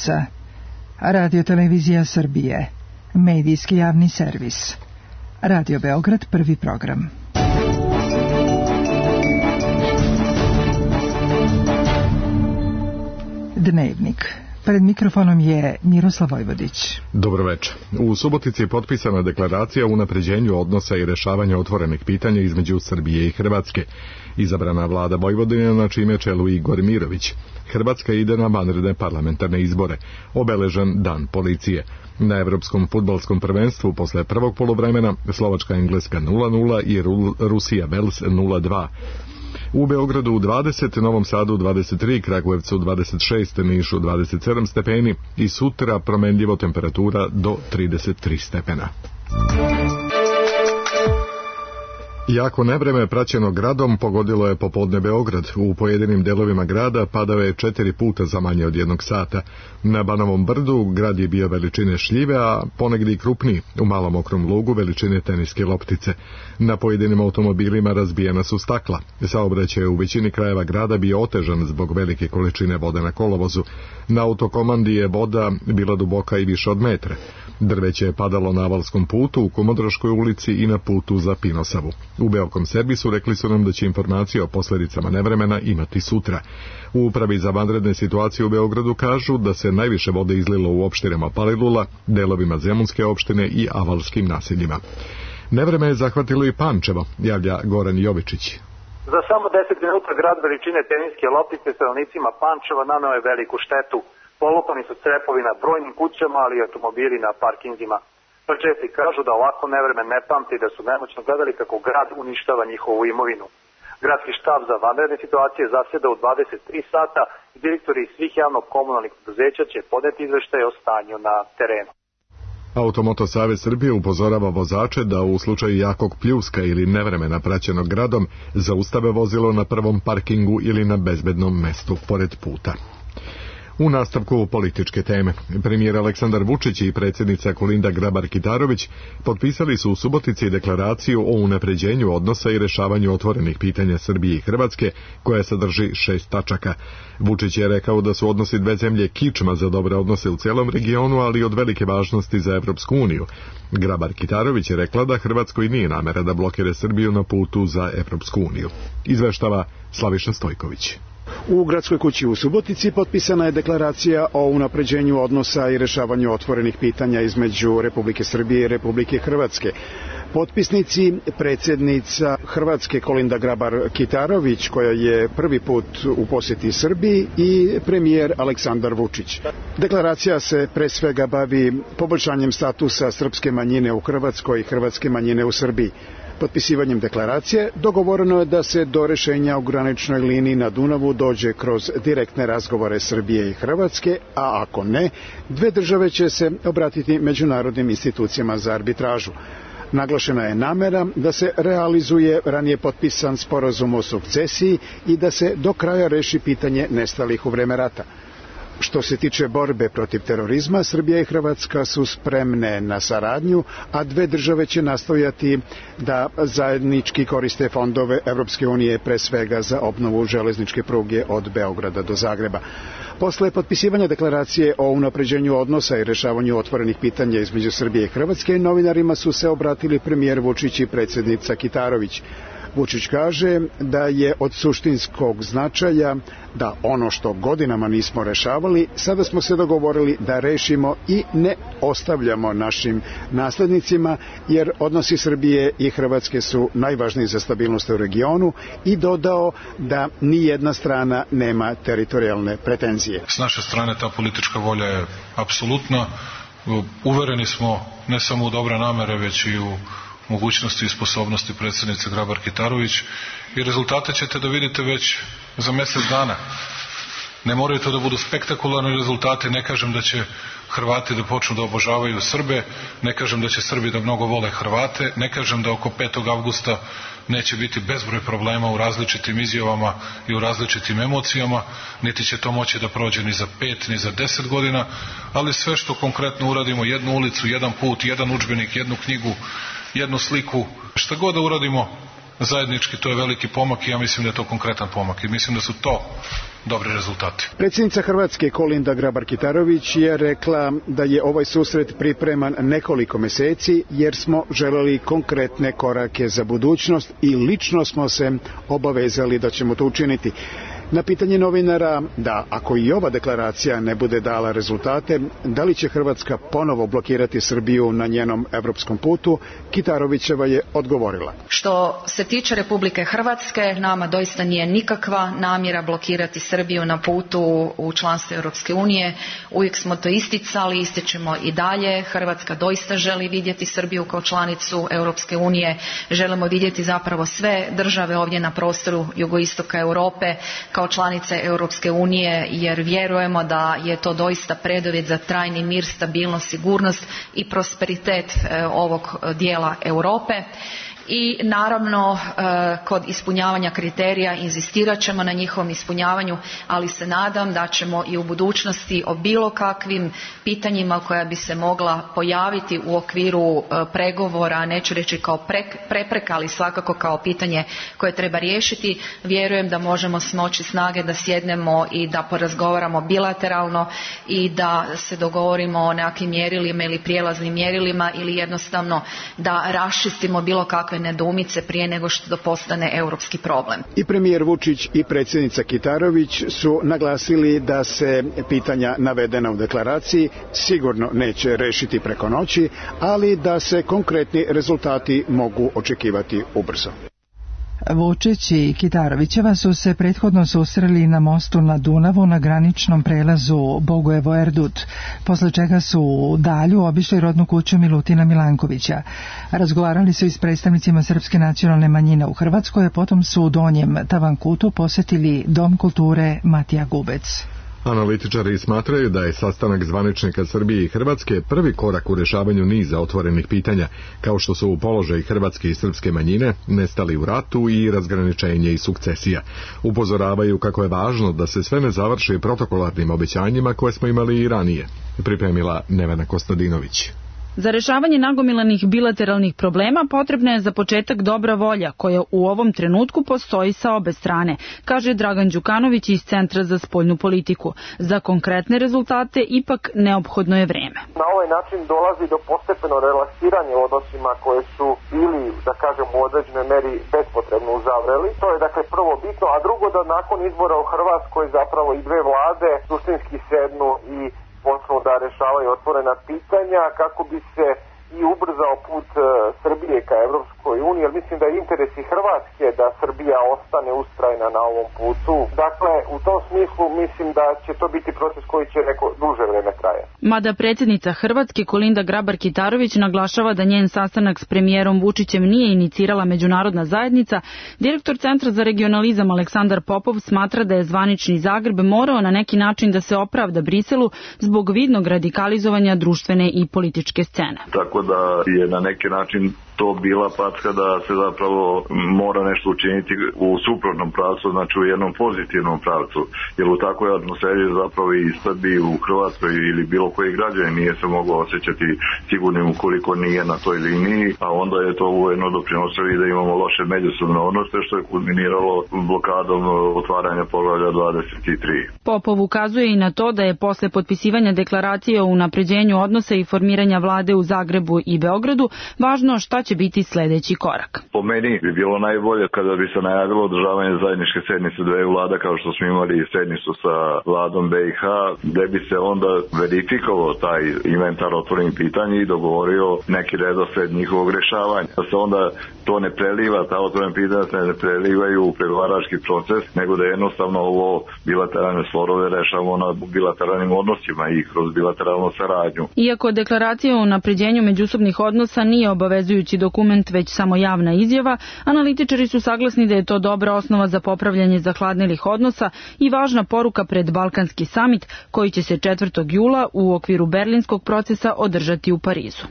Novaca. Radio Televizija Srbije. Medijski javni servis. Radio Beograd, prvi program. Dnevnik. Pred mikrofonom je Miroslav Vojvodić. Dobro večer. U Subotici je potpisana deklaracija o unapređenju odnosa i rešavanju otvorenih pitanja između Srbije i Hrvatske. Izabrana vlada Vojvodine, na čime čelu Igor Mirović. Hrvatska ide na vanredne parlamentarne izbore. Obeležen dan policije. Na Evropskom fudbalskom prvenstvu posle prvog poluvremena Slovačka-Engleska 0-0 i Rusija-Vels 0-2. U Beogradu 20, Novom Sadu 23, Kragujevcu 26, Nišu 27 stepeni i sutra promenljivo temperatura do 33 stepena. Jako nevreme praćeno gradom pogodilo je popodne Beograd. U pojedinim delovima grada padao je 4 puta za manje od 1 sata. Na Banovom brdu grad je bio veličine šljive, a ponegdje i krupniji, u Malom Okrom lugu veličine teniske loptice. Na pojedinim automobilima razbijena su stakla. Saobraćaj u većini krajeva grada bio otežan zbog velike količine vode na kolovozu. Na autokomandi je voda bila duboka i više od metra. Drveće je padalo na Avalskom putu, u Komodroškoj ulici i na putu za Pinosavu. U Beokom servisu rekli su nam da će informacije o posljedicama nevremena imati sutra. U Upravi za vanredne situacije u Beogradu kažu da se najviše vode izlilo u opštinama Palilula, delovima Zemunske opštine i avalskim naseljima. Nevreme je zahvatilo i Pančevo, javlja Goran Jovičić. Za samo 10 minuta grad veličine teniske loptice stanovnicima Pančeva naneo je veliku štetu. Polupani su crepovi na brojnim kućama, ali i automobili na parkinzima. Pačevci kažu da ovako nevreme ne pamti, da su nemoćno gledali kako grad uništava njihovu imovinu. Gradski štab za vanredne situacije zaseda u 23 sata i direktori svih javno-komunalnih preduzeća će podneti izveštaje o stanju na terenu. Automoto Savez Srbije upozorava vozače da u slučaju jakog pljuska ili nevremena praćenog gradom zaustave vozilo na prvom parkingu ili na bezbednom mestu pored puta. U nastavku političke teme, premijer Aleksandar Vučić i predsjednica Kolinda Grabar-Kitarović potpisali su u Subotici deklaraciju o unapređenju odnosa i rešavanju otvorenih pitanja Srbije i Hrvatske, koja sadrži 6 tačaka. Vučić je rekao da su odnosi dve zemlje kičma za dobre odnose u cijelom regionu, ali od velike važnosti za Evropsku uniju. Grabar-Kitarović je rekla da Hrvatskoj nije namera da blokira Srbiju na putu za Evropsku uniju. Izveštava Slaviša Stojković. U Gradskoj kući u Subotici potpisana je deklaracija o unapređenju odnosa i rešavanju otvorenih pitanja između Republike Srbije i Republike Hrvatske. Potpisnici predsjednica Hrvatske Kolinda Grabar-Kitarović, koja je prvi put u posjeti Srbiji, i premijer Aleksandar Vučić. Deklaracija se pre svega bavi poboljšanjem statusa srpske manjine u Hrvatskoj i hrvatske manjine u Srbiji. Potpisivanjem deklaracije dogovoreno je da se do rešenja u graničnoj liniji na Dunavu dođe kroz direktne razgovore Srbije i Hrvatske, a ako ne, dve države će se obratiti međunarodnim institucijama za arbitražu. Naglašena je namera da se realizuje ranije potpisan sporazum o sukcesiji i da se do kraja reši pitanje nestalih u vreme rata. Što se tiče borbe protiv terorizma, Srbija i Hrvatska su spremne na saradnju, a dve države će nastojati da zajednički koriste fondove Evropske unije, pre svega za obnovu železničke pruge od Beograda do Zagreba. Posle potpisivanja deklaracije o unapređenju odnosa i rešavanju otvorenih pitanja između Srbije i Hrvatske, novinarima su se obratili premijer Vučić i predsjednica Kitarović. Vučić kaže da je od suštinskog značaja da ono što godinama nismo rešavali, sada smo se dogovorili da rešimo i ne ostavljamo našim naslednicima, jer odnosi Srbije i Hrvatske su najvažniji za stabilnost u regionu, i dodao da ni jedna strana nema teritorijalne pretenzije. S naše strane ta politička volja je apsolutna. Uvereni smo ne samo u dobre namere, već i u mogućnosti i sposobnosti predsjednice Grabar-Kitarović, i rezultate ćete da vidite već za mjesec dana. Ne moraju to da budu spektakularni rezultati, ne kažem da će Hrvati da počnu da obožavaju Srbe, ne kažem da će Srbi da mnogo vole Hrvate, ne kažem da oko 5. avgusta neće biti bezbroj problema u različitim izjavama i u različitim emocijama, niti će to moći da prođe ni za 5 ni za 10 godina, ali sve što konkretno uradimo, jednu ulicu, jedan put, jedan udžbenik, jednu knjigu, jednu sliku, šta god da uradimo, zajednički, to je veliki pomak i ja mislim da je to konkretan pomak i mislim da su to dobri rezultati. Predsjednica Hrvatske Kolinda Grabar-Kitarović je rekla da je ovaj susret pripreman nekoliko meseci jer smo želeli konkretne korake za budućnost i lično smo se obavezali da ćemo to učiniti. Na pitanje novinara da ako i ova deklaracija ne bude dala rezultate, da li će Hrvatska ponovo blokirati Srbiju na njenom evropskom putu, Kitarovićeva je odgovorila. Što se tiče Republike Hrvatske, nama doista nije nikakva namjera blokirati Srbiju na putu u članstvo Europske unije. Uvijek smo to isticali, ističemo i dalje. Hrvatska doista želi vidjeti Srbiju kao članicu Europske unije. Želimo vidjeti zapravo sve države ovdje na prostoru jugoistoka Europe kao članice Europske unije, jer vjerujemo da je to doista preduvjet za trajni mir, stabilnost, sigurnost i prosperitet ovog dijela Europe. I naravno kod ispunjavanja kriterija inzistirat ćemo na njihovom ispunjavanju, ali se nadam da ćemo i u budućnosti o bilo kakvim pitanjima koja bi se mogla pojaviti u okviru pregovora, neću reći kao prepreka, ali svakako kao pitanje koje treba riješiti, vjerujem da možemo smoći snage da sjednemo i da porazgovaramo bilateralno i da se dogovorimo o nekakvim mjerilima ili prijelaznim mjerilima ili jednostavno da raščistimo bilo kakve nedoumice prije nego što to postane europski problem. I premijer Vučić i predsjednica Kitarović su naglasili da se pitanja navedena u deklaraciji sigurno neće rešiti preko noći, ali da se konkretni rezultati mogu očekivati ubrzo. Vučić i Kitarovićeva su se prethodno susreli na mostu na Dunavu na graničnom prelazu Bogojevo-Erdut, posle čega su u Dalju obišli rodnu kuću Milutina Milankovića. Razgovarali su i s predstavnicima srpske nacionalne manjine u Hrvatskoj, a potom su u Donjem Tavankutu posetili Dom kulture Matija Gubec. Analitičari smatraju da je sastanak zvaničnika Srbije i Hrvatske prvi korak u rješavanju niza otvorenih pitanja, kao što su u položaj hrvatske i srpske manjine, nestali u ratu i razgraničenje i sukcesija. Upozoravaju kako je važno da se sve ne završi protokolarnim obećanjima koje smo imali i ranije, pripremila Nevena Kostadinović. Za rešavanje nagomilanih bilateralnih problema potrebna je za početak dobra volja, koja u ovom trenutku postoji sa obe strane, kaže Dragan Đukanović iz Centra za spoljnu politiku. Za konkretne rezultate ipak neophodno je vreme. Na ovaj način dolazi do postepeno relaksiranja u odnosima koje su bili, da kažem, u određenoj meri bespotrebno uzavreli. To je dakle prvo bitno, a drugo da nakon izbora u Hrvatskoj zapravo i dve vlade suštinski sednu i počnu da rešavaju otvorena pitanja kako bi se i ubrzao put Srbije ka Evropskoj uniji, jer mislim da je interes i Hrvatske da Srbija ostane ustrajna na ovom putu. Dakle, u tom smislu mislim da će to biti proces koji će neko duže vreme traje. Mada predsjednica Hrvatske Kolinda Grabar-Kitarović naglašava da njen sastanak s premijerom Vučićem nije inicirala međunarodna zajednica, direktor Centra za regionalizam Aleksandar Popov smatra da je zvanični Zagreb morao na neki način da se opravda Briselu zbog vidnog radikalizovanja društvene i političke scene. Tako da je na neki način to bila packa da se zapravo mora nešto učiniti u suprotnom pravcu, znači u jednom pozitivnom pravcu, jer u takvoj atmosferi zapravo i Srbiji u Hrvatskoj ili bilo koji građanin nije se moglo osjećati sigurnim ukoliko nije na toj liniji, a onda je to ujedno doprinosilo i da imamo loše međusobne odnose, što je kulminiralo blokadom otvaranja poglavlja 23. Popov ukazuje i na to da je posle potpisivanja deklaracije o unapređenju odnosa i formiranja vlade u Zagrebu i Beogradu važno šta će biti sljedeći korak. Po meni bi bilo najbolje kada bi se najavilo održavanje zajedničke sednice dveju vlada, kao što smo imali sednicu sa vladom BiH, gde bi se onda verifikovao taj inventar otvorenih pitanja i dogovorio neki redosled njihovog rešavanja. Da se onda to ne preliva, ta otvorena pitanja se ne prelivaju u pregovarački proces, nego da jednostavno ovo bilateralne sporove rešavamo na bilateralnim odnosima i kroz bilateralnu saradnju. Iako deklaracija o unapređenju međusobnih odnosa nije obavezujući dokument, već samo javna izjava, analitičari su saglasni da je to dobra osnova za popravljanje zahladnelih odnosa i važna poruka pred Balkanski samit koji će se 4. jula u okviru berlinskog procesa održati u Parizu.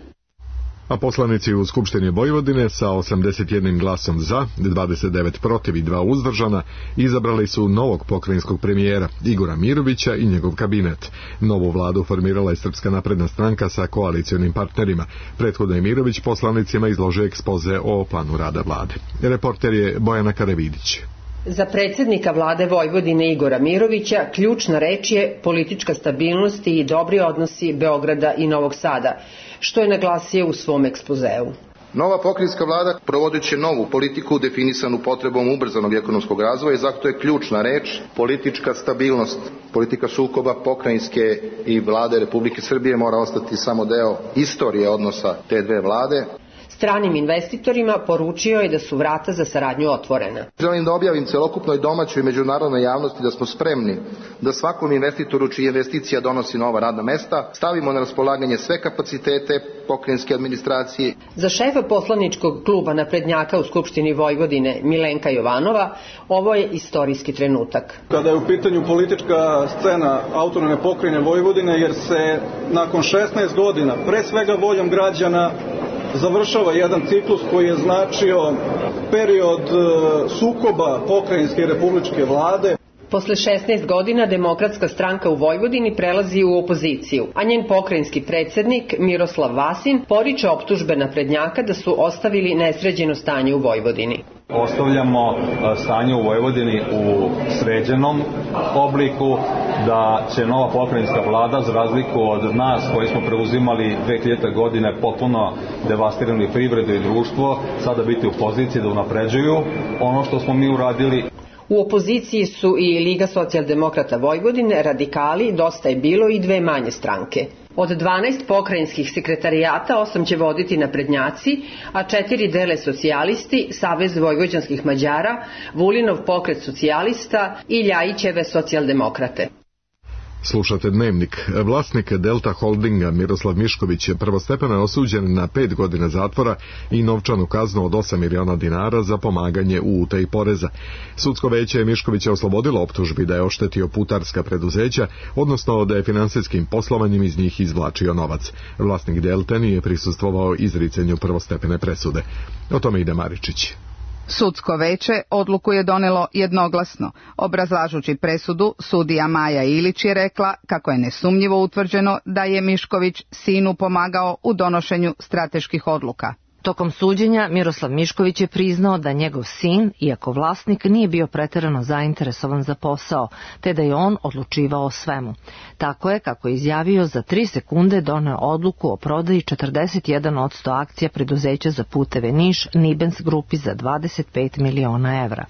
a poslanici u Skupštini Vojvodine sa 81 glasom za, 29 protiv i 2 uzdržana izabrali su novog pokrajinskog premijera Igora Mirovića i njegov kabinet. Novu vladu formirala je Srpska napredna stranka sa koalicionim partnerima. Prethodno je Mirović poslanicima izložio ekspoze o planu rada vlade. Reporter je Bojana Karavidić. Za predsjednika vlade Vojvodine Igora Mirovića ključna reč je politička stabilnost i dobri odnosi Beograda i Novog Sada, što je naglasio u svom ekspozeu. Nova pokrajinska vlada provodit će novu politiku definisanu potrebom ubrzanog ekonomskog razvoja i zato je ključna reč politička stabilnost. Politika sukoba pokrajinske i vlade Republike Srbije mora ostati samo deo istorije odnosa te dve vlade. Stranim investitorima poručio je da su vrata za saradnju otvorena. Želim da objavim celokupnoj domaćoj i međunarodnoj javnosti da smo spremni da svakom investitoru čija investicija donosi nova radna mesta stavimo na raspolaganje sve kapacitete pokrajinske administracije. Za šefa poslaničkog kluba naprednjaka u Skupštini Vojvodine Milenka Jovanova ovo je istorijski trenutak. Kada je u pitanju politička scena autonomne pokrajine Vojvodine, jer se nakon 16 godina pre svega voljom građana završava jedan ciklus koji je značio period sukoba pokrajinske i republičke vlade. Posle 16 godina Demokratska stranka u Vojvodini prelazi u opoziciju, a njen pokrajinski predsjednik Miroslav Vasin poriče optužbe naprednjaka da su ostavili nesređeno stanje u Vojvodini. Ostavljamo stanje u Vojvodini u sređenom obliku, da će nova pokrajinska vlada, za razliku od nas koji smo preuzimali 2000. godine potpuno devastirali privredu i društvo, sada biti u poziciji da unapređuju ono što smo mi uradili. U opoziciji su i Liga socijaldemokrata Vojvodine, Radikali, Dosta je bilo i dve manje stranke. Od 12 pokrajinskih sekretarijata 8 će voditi naprednjaci, a 4 dele socijalisti, Savez vojvođanskih Mađara, Vulinov pokret socijalista i Ljajićeve socijaldemokrate. Slušate Dnevnik. Vlasnik Delta Holdinga Miroslav Mišković prvostepeno je osuđen na 5 godina zatvora i novčanu kaznu od 8 miliona dinara za pomaganje u utaji poreza. Sudsko veće je Miškovića oslobodilo optužbi da je oštetio putarska preduzeća, odnosno da je finansijskim poslovanjem iz njih izvlačio novac. Vlasnik Delta nije prisustvovao izricanju prvostepene presude. O tome ide Maričić. Sudsko veće odluku je donelo jednoglasno. Obrazlažući presudu, sudija Maja Ilić je rekla kako je nesumnjivo utvrđeno da je Mišković sinu pomagao u donošenju strateških odluka. Tokom suđenja Miroslav Mišković je priznao da njegov sin, iako vlasnik, nije bio preterano zainteresovan za posao, te da je on odlučivao o svemu. Tako je, kako je izjavio, za 3 sekunde doneo odluku o prodaji 41% akcija preduzeća za puteve Niš Nibens grupi za 25 miliona evra.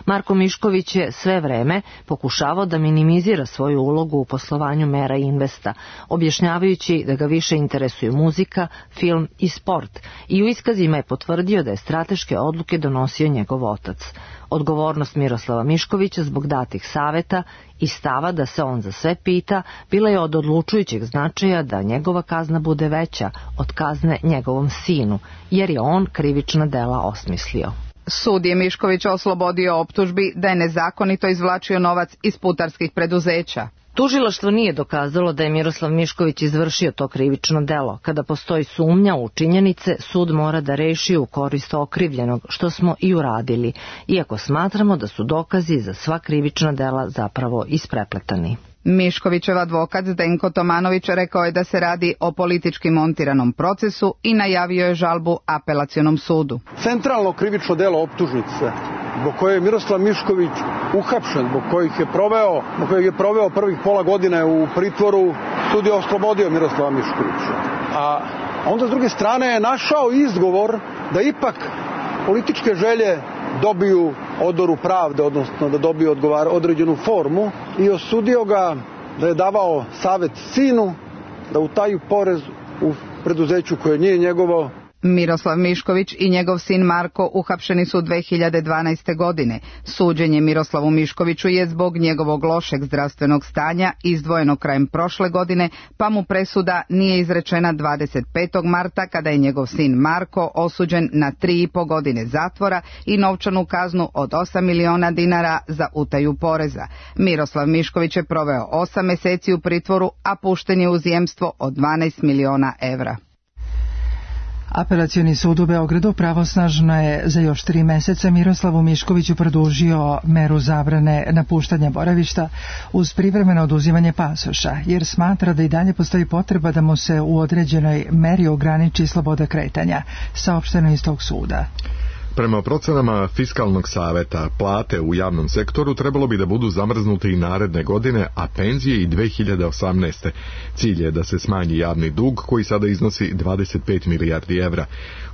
Marko Mišković je sve vreme pokušavao da minimizira svoju ulogu u poslovanju Mera Investa, objašnjavajući da ga više interesuju muzika, film i sport, i u iskazima je potvrdio da je strateške odluke donosio njegov otac. Odgovornost Miroslava Miškovića zbog datih saveta i stava da se on za sve pita bila je od odlučujućeg značaja da njegova kazna bude veća od kazne njegovom sinu, jer je on krivična dela osmislio. Sud je Miškovića oslobodio optužbi da je nezakonito izvlačio novac iz putarskih preduzeća. Tužilaštvo nije dokazalo da je Miroslav Mišković izvršio to krivično delo. Kada postoji sumnja u činjenice, sud mora da reši u korist okrivljenog, što smo i uradili, iako smatramo da su dokazi za sva krivična dela zapravo isprepletani. Miškovićev advokat Zdenko Tomanović rekao je da se radi o politički montiranom procesu i najavio je žalbu apelacionom sudu. Centralno krivično delo optužnice, zbog koje je Miroslav Mišković uhapšen, zbog kojeg je proveo prvih pola godine u pritvoru, sud je oslobodio Miroslava Miškovića. A onda s druge strane je našao izgovor da ipak političke želje dobiju odoru pravde, odnosno da dobiju određenu formu, i osudio ga da je davao savet sinu da utaju porez u preduzeću koje nije njegovo. Miroslav Mišković i njegov sin Marko uhapšeni su 2012. godine. Suđenje Miroslavu Miškoviću je zbog njegovog lošeg zdravstvenog stanja izdvojeno krajem prošle godine, pa mu presuda nije izrečena 25. marta kada je njegov sin Marko osuđen na 3,5 godine zatvora i novčanu kaznu od 8 miliona dinara za utaju poreza. Miroslav Mišković je proveo 8 meseci u pritvoru, a pušten je u jemstvo od 12 miliona evra. Apelacioni sud u Beogradu pravosnažno je za još 3 meseca Miroslavu Miškoviću produžio meru zabrane napuštanja boravišta uz privremeno oduzimanje pasoša, jer smatra da i dalje postoji potreba da mu se u određenoj meri ograniči sloboda kretanja, saopšteno iz tog suda. Prema procenama Fiskalnog saveta, plate u javnom sektoru trebalo bi da budu zamrznute i naredne godine, a penzije i 2018. Cilj je da se smanji javni dug koji sada iznosi 25 milijardi evra.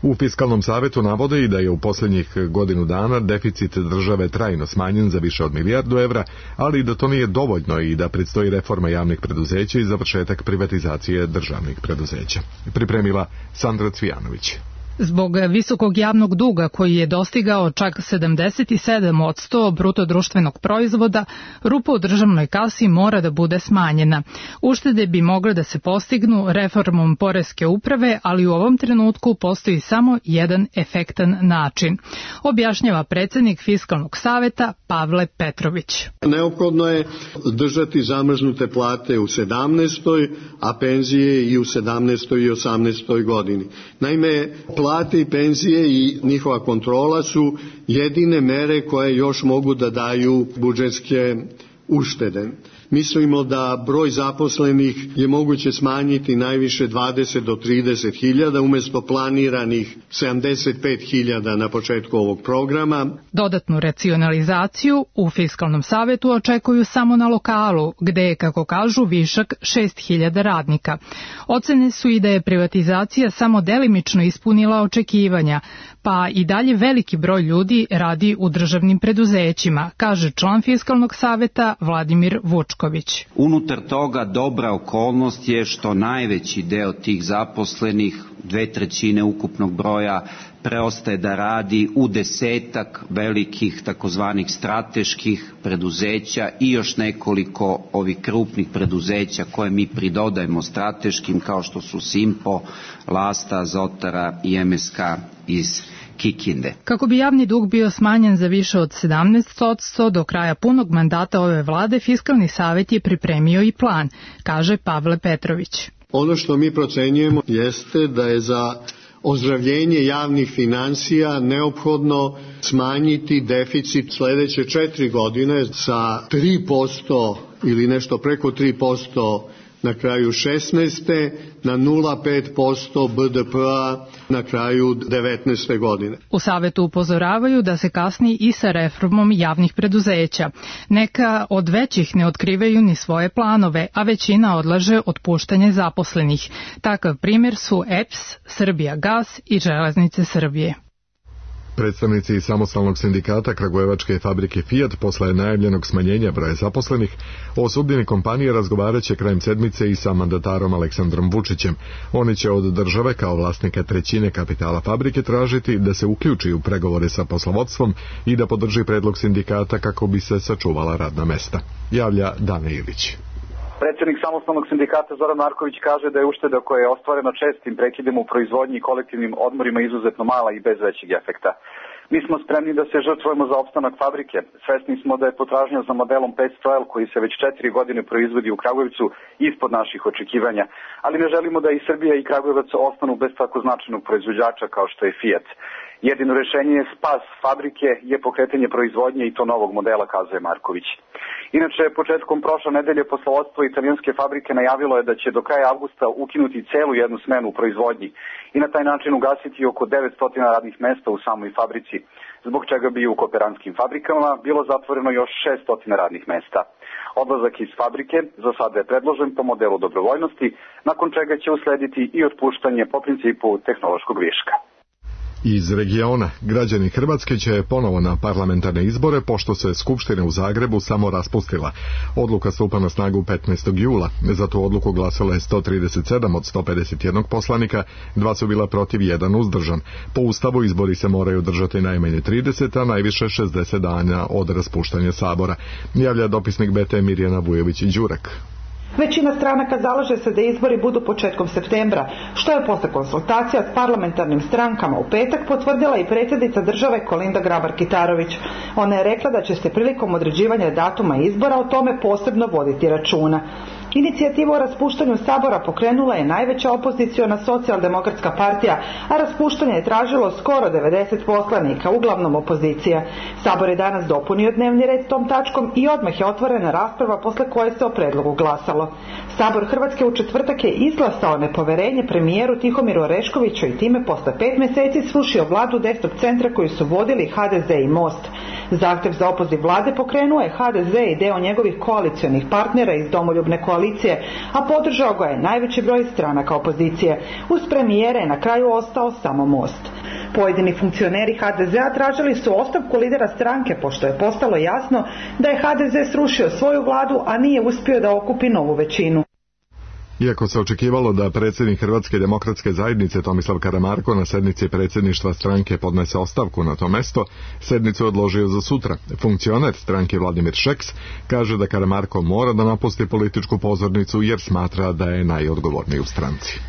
U Fiskalnom savetu navode i da je u posljednjih godinu dana deficit države trajno smanjen za više od milijardu evra, ali da to nije dovoljno i da predstoji reforma javnih preduzeća i završetak privatizacije državnih preduzeća. Pripremila Sandra Cvijanović. Zbog visokog javnog duga koji je dostigao čak 77% bruto društvenog proizvoda, rupa u državnoj kasi mora da bude smanjena. Uštede bi mogle da se postignu reformom poreske uprave, ali u ovom trenutku postoji samo jedan efektan način, objašnjava predsjednik Fiskalnog saveta Pavle Petrović. Neophodno je držati zamrznute plate u 17. a penzije i u 17. i 18. godini. Naime, plate i penzije i njihova kontrola su jedine mere koje još mogu da daju budžetske uštede. Mislimo da broj zaposlenih je moguće smanjiti najviše 20 do 30 hiljada umjesto planiranih 75 hiljada na početku ovog programa. Dodatnu racionalizaciju u Fiskalnom savetu očekuju samo na lokalu, gde je, kako kažu, višak 6.000 radnika. Ocene su i da je privatizacija samo delimično ispunila očekivanja, pa i dalje veliki broj ljudi radi u državnim preduzećima, kaže član Fiskalnog saveta Vladimir Vučković. Unutar toga dobra okolnost je što najveći deo tih zaposlenih, 2/3 ukupnog broja, preostaje da radi u 10-ak velikih takozvanih strateških preduzeća i još nekoliko ovih krupnih preduzeća koje mi pridodajemo strateškim, kao što su Simpo, Lasta, Azotara i MSK iz Kikinde. Kako bi javni dug bio smanjen za više od 17% do kraja punog mandata ove vlade, Fiskalni savet je pripremio i plan, kaže Pavle Petrović. Ono što mi procenjujemo jeste da je za ozdravljenje javnih finansija neophodno smanjiti deficit sljedeće 4 godine sa 3% ili nešto preko 3% na kraju 16. na 0,5% BDP-a na kraju 19. godine. U savetu upozoravaju da se kasni i sa reformom javnih preduzeća. Neka od većih ne otkrivaju ni svoje planove, a većina odlaže otpuštanje zaposlenih. Takav primjer su EPS, Srbijagas i Železnice Srbije. Predstavnici samostalnog sindikata kragujevačke fabrike Fiat posle najavljenog smanjenja broja zaposlenih o sudbini kompanije razgovarat će krajem sedmice i sa mandatarom Aleksandrom Vučićem. Oni će od države kao vlasnika 1/3 kapitala fabrike tražiti da se uključi u pregovore sa poslovodstvom i da podrži predlog sindikata kako bi se sačuvala radna mesta. Javlja Dana Ilić. Predsjednik samostalnog sindikata Zoran Marković kaže da je ušteda koja je ostvarena čestim prekidima u proizvodnji i kolektivnim odmorima izuzetno mala i bez većeg efekta. Mi smo spremni da se žrtvujemo za opstanak fabrike. Svesni smo da je potražnja za modelom 500L koji se već 4 godine proizvodi u Kragujevcu ispod naših očekivanja, ali ne želimo da i Srbija i Kragujevac ostanu bez tako značajnog proizvođača kao što je Fiat. Jedino rešenje je spas fabrike je pokretanje proizvodnje i to novog modela, kazuje Marković. Inače, početkom prošle nedelje poslovodstvo italijanske fabrike najavilo je da će do kraja avgusta ukinuti celu jednu smenu u proizvodnji i na taj način ugasiti oko 900 radnih mesta u samoj fabrici, zbog čega bi u kooperantskim fabrikama bilo zatvoreno još 600 radnih mesta. Odlazak iz fabrike za sada je predložen po modelu dobrovoljnosti, nakon čega će uslediti i otpuštanje po principu tehnološkog viška. Iz regiona, građani Hrvatske će ponovo na parlamentarne izbore, pošto se Skupština u Zagrebu samo raspustila. Odluka stupa na snagu 15. jula. Za tu odluku glasalo je 137 od 151 poslanika, 2 su bila protiv, 1 uzdržan. Po Ustavu izbori se moraju držati najmanje 30, a najviše 60 dana od raspuštanja Sabora. Javlja dopisnik BT Mirjana Vujović-Đurak. Većina stranaka zalaže se da izbori budu početkom septembra, što je posle konsultacija s parlamentarnim strankama u petak potvrdila i predsjednica države Kolinda Grabar-Kitarović. Ona je rekla da će se prilikom određivanja datuma izbora o tome posebno voditi računa. Inicijativu o raspuštanju Sabora pokrenula je najveća opoziciona socijaldemokratska partija, a raspuštanje je tražilo skoro 90 poslanika, uglavnom opozicija. Sabor je danas dopunio dnevni red tom tačkom i odmah je otvorena rasprava posle koje se o predlogu glasalo. Sabor Hrvatske u četvrtak je izglasao nepoverenje premijeru Tihomiru Oreškoviću i time posle 5 meseci srušio vladu desnog centra koju su vodili HDZ i Most. Zahtev za opoziv vlade pokrenuo je HDZ i deo njegovih koalicionih partnera iz Domoljubne koalicije, a podržao ga je najveći broj stranaka opozicije. Uz premijere je na kraju ostao samo Most. Pojedini funkcioneri HDZ-a tražili su ostavku lidera stranke, pošto je postalo jasno da je HDZ srušio svoju vladu, a nije uspio da okupi novu većinu. Iako se očekivalo da predsjednik Hrvatske demokratske zajednice Tomislav Karamarko na sednici predsjedništva stranke podnese ostavku na to mesto, sednicu odložio za sutra. Funkcioner stranke Vladimir Šeks kaže da Karamarko mora da napusti političku pozornicu jer smatra da je najodgovorniji u stranci.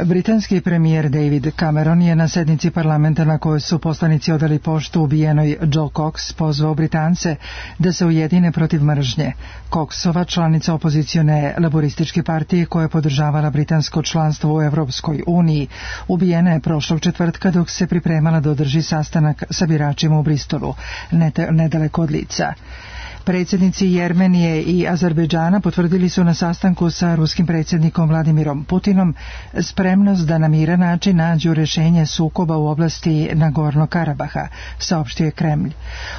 Britanski premijer David Cameron je na sednici parlamenta na kojoj su poslanici odali poštu ubijenoj Jo Cox pozvao Britance da se ujedine protiv mržnje. Coxova, članica opozicione laborističke partije koja je podržavala britansko članstvo u Evropskoj uniji, ubijena je prošlog četvrtka dok se pripremala da održi sastanak sa biračima u Bristolu, nedaleko od Lica. Predsjednici Jermenije i Azerbejdžana potvrdili su na sastanku sa ruskim predsjednikom Vladimirom Putinom spremnost da na miran način nađu rješenje sukoba u oblasti Nagorno Karabaha, saopštio je Kremlj.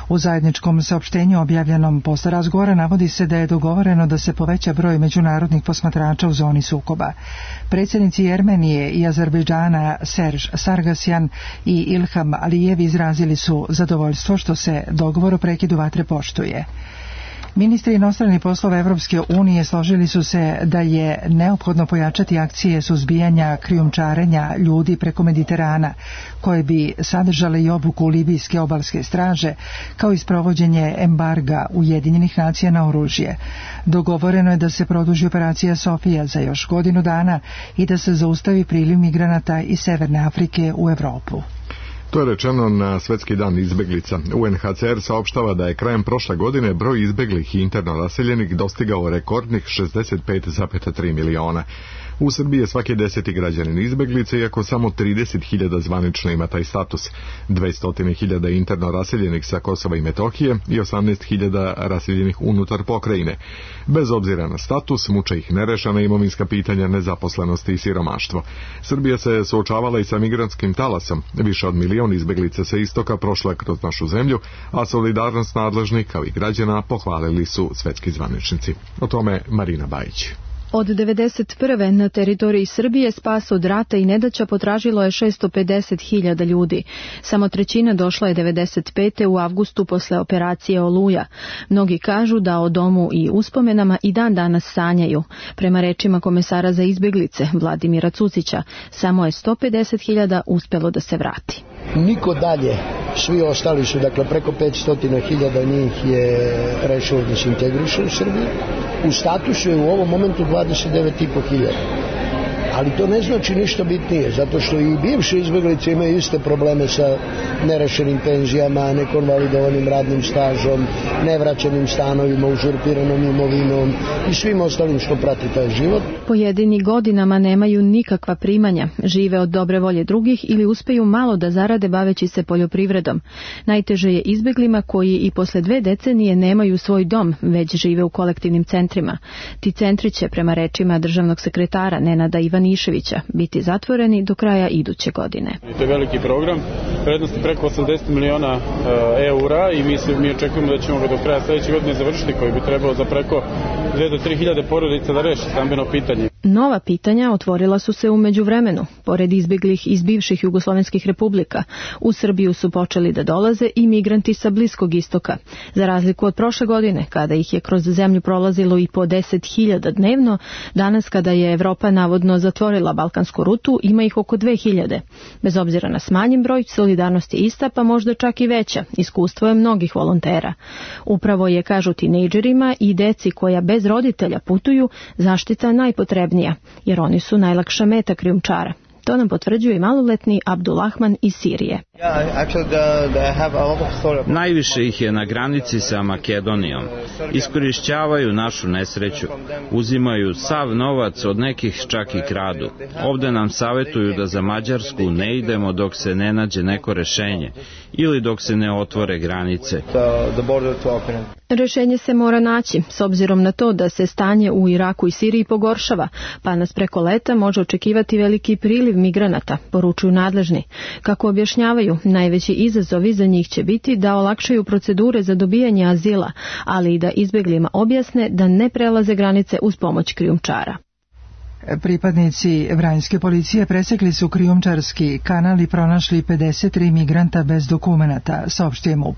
U zajedničkom saopštenju objavljenom posle razgovora navodi se da je dogovoreno da se poveća broj međunarodnih posmatrača u zoni sukoba. Predsjednici Jermenije i Azerbejdžana Serž Sargasjan i Ilham Alijev izrazili su zadovoljstvo što se dogovor o prekidu vatre poštuje. Ministri inostranih poslova Evropske unije složili su se da je neophodno pojačati akcije suzbijanja krijumčarenja ljudi preko Mediterana, koje bi sadržale i obuku libijske obalske straže, kao i sprovođenje embarga Ujedinjenih nacija na oružje. Dogovoreno je da se produži operacija Sofija za još godinu dana i da se zaustavi priliv migranata iz Severne Afrike u Evropu. To je rečeno na Svetski dan izbeglica. UNHCR saopštava da je krajem prošle godine broj izbeglih i interno raseljenih dostigao rekordnih 65,3 miliona. U Srbiji je svaki 10. građanin izbeglice, iako samo 30.000 zvanično ima taj status. 200.000 interno raseljenih sa Kosova i Metohije i 18.000 raseljenih unutar pokrajine. Bez obzira na status, muče ih nerešena imovinska pitanja, nezaposlenosti i siromaštvo. Srbija se suočavala i sa migrantskim talasom. Više od milion izbeglica sa istoka prošla kroz našu zemlju, a solidarnost nadležnih kao i građana pohvalili su svetski zvaničnici. O tome Marina Bajić. Od 1991. na teritoriji Srbije spas od rata i nedaća potražilo je 650.000 ljudi. Samo trećina došla je 1995. u avgustu posle operacije Oluja. Mnogi kažu da o domu i uspomenama i dan danas sanjaju. Prema rečima komesara za izbjeglice Vladimira Cucića, samo je 150.000 uspelo da se vrati. Niko dalje, svi ostali su, dakle preko 500.000 njih je rešilo da se integriše u Srbiji. U statusu je u ovom momentu 29.500. Ali to ne znači ništa bitnije, zato što i bivše izbjeglice imaju iste probleme sa nerešenim penzijama, nekonvalidovanim radnim stažom, nevraćenim stanovima, uzurpiranom imovinom i svim ostalim što prati taj život. Pojedini godinama nemaju nikakva primanja, žive od dobre volje drugih ili uspeju malo da zarade baveći se poljoprivredom. Najteže je izbjeglima koji i posle 2 decenije nemaju svoj dom, već žive u kolektivnim centrima. Ti centri će, prema rečima državnog sekretara Nenada Ivaniševića, biti zatvoreni do kraja iduće godine. To je veliki program, vrednosti preko 80 miliona eura i mi očekujemo da ćemo ga do kraja sljedeće godine završiti, koji bi trebao za preko 2 do 3 hiljade porodica da reši stambeno pitanje. Nova pitanja otvorila su se u međuvremenu. Pored izbjeglih iz bivših jugoslovenskih republika, u Srbiju su počeli da dolaze i migranti sa Bliskog istoka. Za razliku od prošle godine, kada ih je kroz zemlju prolazilo i po 10.000 dnevno, danas kada je Evropa navodno zatvorila balkansku rutu, ima ih oko 2.000. Bez obzira na smanjen broj, solidarnost je ista, pa možda čak i veća. Iskustvo je mnogih volontera. Upravo je, kažu tinejdžerima i deci koja bez roditelja putuju, zaštita najpotrebnija, jer oni su najlakša meta krijumčara. To nam potvrđuje i maloletni Abdulahman iz Sirije. Najviše ih je na granici sa Makedonijom. Iskorišćavaju našu nesreću. Uzimaju sav novac, od nekih čak i kradu. Ovde nam savetuju da za Mađarsku ne idemo dok se ne nađe neko rešenje ili dok se ne otvore granice. Rešenje se mora naći, s obzirom na to da se stanje u Iraku i Siriji pogoršava, pa nas preko leta može očekivati veliki priliv migranata, poručuju nadležni. Kako objašnjavaju, najveći izazovi za njih će biti da olakšaju procedure za dobijanje azila, ali i da izbjeglima objasne da ne prelaze granice uz pomoć krijumčara. Pripadnici vranjske policije presekli su krijumčarski kanal i pronašli 53 migranta bez dokumenata, saopštio MUP.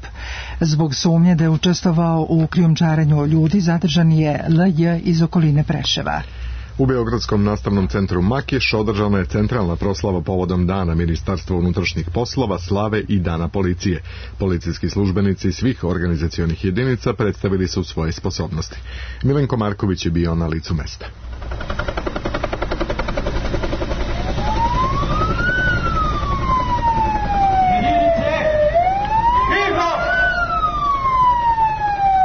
Zbog sumnje da je učestvovao u krijumčarenju ljudi, zadržan je LJ iz okoline Preševa. U Beogradskom nastavnom centru Makiš održana je centralna proslava povodom Dana Ministarstva unutrašnjih poslova, slave i Dana policije. Policijski službenici svih organizacionih jedinica predstavili su svoje sposobnosti. Milenko Marković je bio na licu mesta.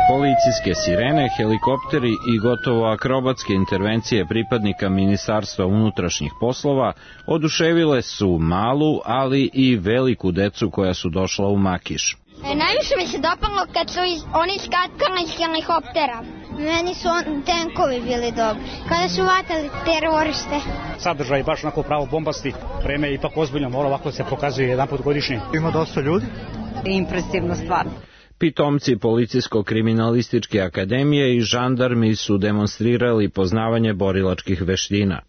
Policijske sirene, helikopteri i gotovo akrobatske intervencije pripadnika Ministarstva unutrašnjih poslova oduševile su malu, ali i veliku decu koja su došla u Makiš. Najviše mi se dopalo kad su oni skakali iz helikoptera. Meni su tenkovi bili dobri. Kada su vatali teroriste. Sadržaj je baš onako pravo bombasti. Vreme je ipak ozbiljno, mora ovako se pokazuje jedan put godišnje. Ima dosta ljudi. Impresivno stvar. Pitomci Policijsko-kriminalističke akademije i žandarmi su demonstrirali poznavanje borilačkih veština.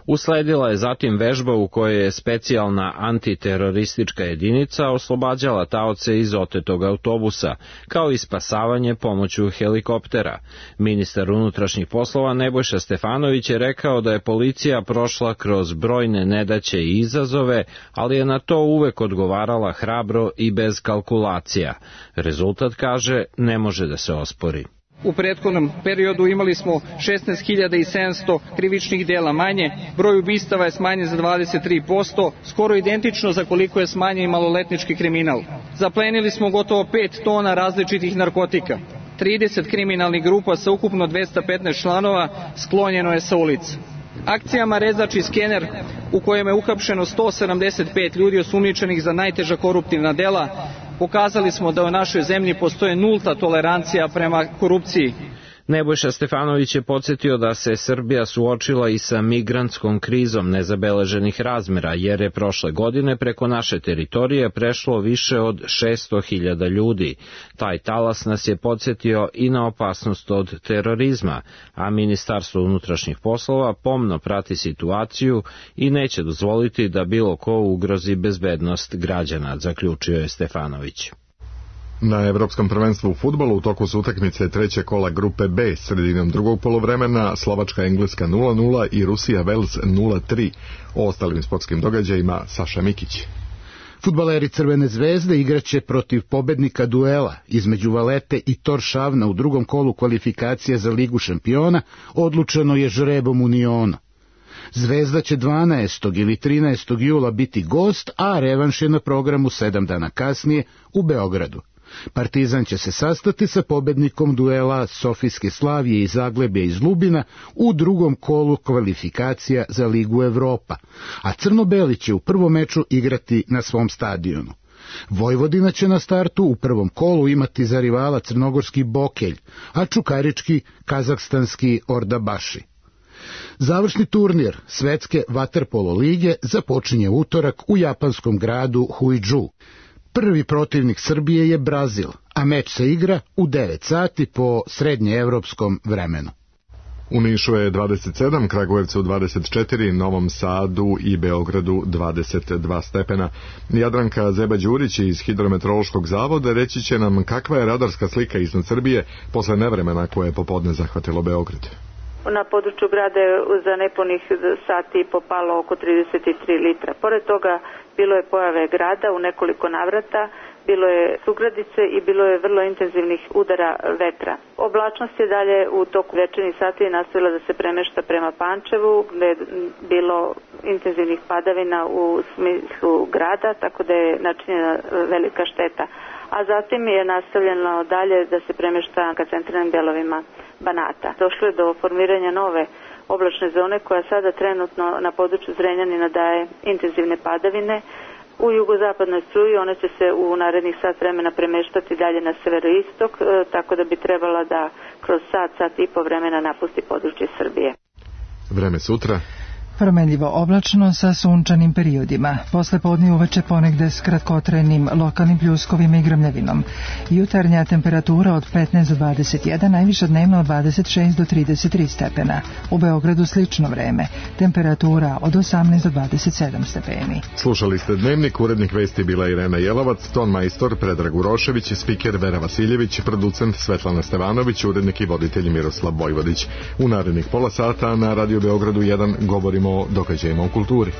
Usledila je zatim vežba u kojoj je specijalna antiteroristička jedinica oslobađala taoce iz otetog autobusa, kao i spasavanje pomoću helikoptera. Ministar unutrašnjih poslova Nebojša Stefanović je rekao da je policija prošla kroz brojne nedaće i izazove, ali je na to uvek odgovarala hrabro i bez kalkulacija. Rezultat, kaže, ne može da se ospori. U prethodnom periodu imali smo 16.700 krivičnih dela manje, broj ubistava je smanjen za 23%, skoro identično za koliko je smanjen i maloletnički kriminal. Zaplenili smo gotovo 5 tona različitih narkotika. 30 kriminalnih grupa sa ukupno 215 članova sklonjeno je sa ulica. Akcijama Rezač i Skener, u kojem je uhapšeno 175 ljudi osumnjičenih za najteža koruptivna dela, pokazali smo da u našoj zemlji postoje nulta tolerancija prema korupciji. Nebojša Stefanović je podsjetio da se Srbija suočila i sa migrantskom krizom nezabeleženih razmera, jer je prošle godine preko naše teritorije prešlo više od 600.000 ljudi. Taj talas nas je podsjetio i na opasnost od terorizma, a Ministarstvo unutrašnjih poslova pomno prati situaciju i neće dozvoliti da bilo ko ugrozi bezbednost građana, zaključio je Stefanović. Na Evropskom prvenstvu u fudbalu u toku su utakmice treće kola grupe B sredinom drugog poluvremena, Slovačka-Engleska 0-0 i Rusija-Vels 0-3. O ostalim sportskim događajima Saša Mikić. Fudbaleri Crvene zvezde igraće protiv pobednika duela između Valete i Toršavna u drugom kolu kvalifikacije za Ligu šampiona, odlučeno je žrebom Uniona. Zvezda će 12. ili 13. jula biti gost, a revanš je na programu 7 dana kasnije u Beogradu. Partizan će se sastati sa pobednikom duela Sofijske Slavije i Zagrebja iz Lubina u drugom kolu kvalifikacija za Ligu Evropa, a Crno-Beli će u prvom meču igrati na svom stadionu. Vojvodina će na startu u prvom kolu imati za rivala crnogorski Bokelj, a čukarički kazahstanski Ordabaši. Završni turnir Svetske vaterpolo lige započinje utorak u japanskom gradu Huidžu. Prvi protivnik Srbije je Brazil, a meč se igra u 9 sati po srednjeevropskom vremenu. U Nišu je 27, Kragujevcu 24, Novom Sadu i Beogradu 22 stepena. Jadranka Zeba-Đurić iz Hidrometeorološkog zavoda reći će nam kakva je radarska slika iznad Srbije posle nevremena koje je popodne zahvatilo Beograd. Na području grada je za nepunih sati popalo oko 33 litra. Pored toga bilo je pojave grada u nekoliko navrata, bilo je sugradice i bilo je vrlo intenzivnih udara vetra. Oblačnost je dalje u toku večernjih sati nastavila da se premešta prema Pančevu, gde je bilo intenzivnih padavina u smislu grada, tako da je načinjena velika šteta. A zatim je nastavljeno dalje da se premješta ka centralnim delovima Banata. Došlo je do formiranja nove oblačne zone koja sada trenutno na području Zrenjanina daje intenzivne padavine. U jugozapadnoj struji one će se u narednih sat vremena premeštati dalje na severoistok, tako da bi trebala da kroz sat i po vremena napusti područje Srbije. Vreme sutra. Promenljivo oblačno sa sunčanim periodima. Posle podne uveče ponegde s kratkotrajnim lokalnim pljuskovima i grmljavinom. Jutarnja temperatura od 15 do 21, najviša dnevno od 26 do 33 stepena. U Beogradu slično vreme. Temperatura od 18 do 27 stepeni. Slušali ste Dnevnik, urednik vesti bila Irena Jelovac, ton majstor Predrag Urošević, spiker Vera Vasiljević, producent Svetlana Stevanović, urednik i voditelj Miroslav Vojvodić. U narednih pola sata na Radio Beogradu 1 govorimo o događajima u kulturi.